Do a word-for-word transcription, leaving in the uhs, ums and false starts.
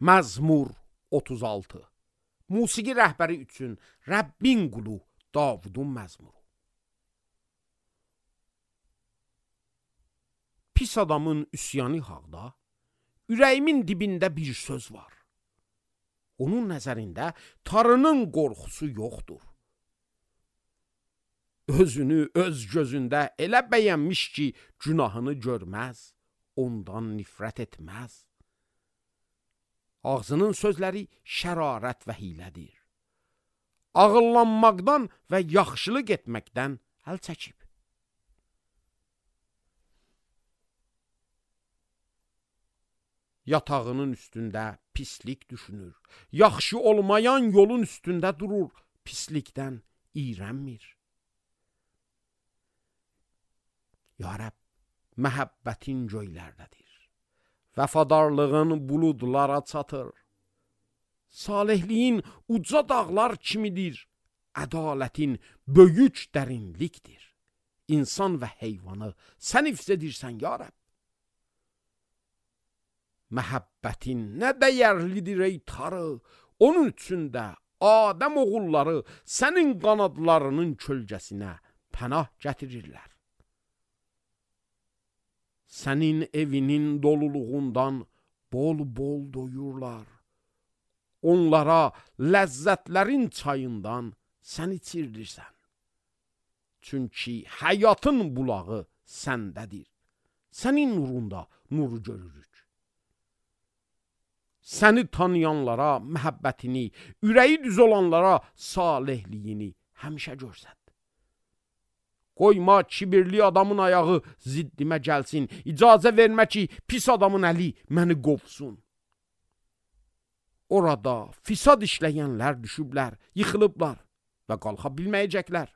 Məzmur otuz altı. Musiqi rəhbəri üçün Rəbbin qulu Davudun məzmuru. Pis adamın üsyanı haqda, ürəyimin dibində bir söz var. Onun nəzərində Tanrının qorxusu yoxdur. Özünü öz gözündə elə bəyənmiş ki, günahını görməz, ondan nifrət etməz. Ağzının sözləri şərarət və hilədir. Ağıllanmaqdan və yaxşılıq etməkdən əl çəkib. Yatağının üstündə pislik düşünür. Yaxşı olmayan yolun üstündə durur, pislikdən iyrənmir. Ya Rəbb, məhəbbətin göylərdədir. Vəfadarlığın buludlara çatır. Salihliyin uca dağlar kimidir. Ədalətin böyük dərinlikdir. İnsan və heyvanı sən hifz edirsən, ya Rəbb. Məhəbbətin nə dəyərlidir ey Tanrı, onun üçün də Adəm oğulları sənin qanadlarının kölgəsinə pənah gətirirlər. Sənin evinin doluluğundan bol-bol doyurlar. Onlara ləzzətlərin çayından sən içirirsən. Çünki həyatın bulağı səndədir. Sənin nurunda nuru görürük. Səni tanıyanlara məhəbbətini, ürəyi düz olanlara salihliyini həmişə görsət. Qoyma kibirli adamın ayağı ziddimə gəlsin. İcazə vermə ki, pis adamın əli məni qovsun. Orada fisad işləyənlər düşüblər, yıxılıblar və qalxa bilməyəcəklər.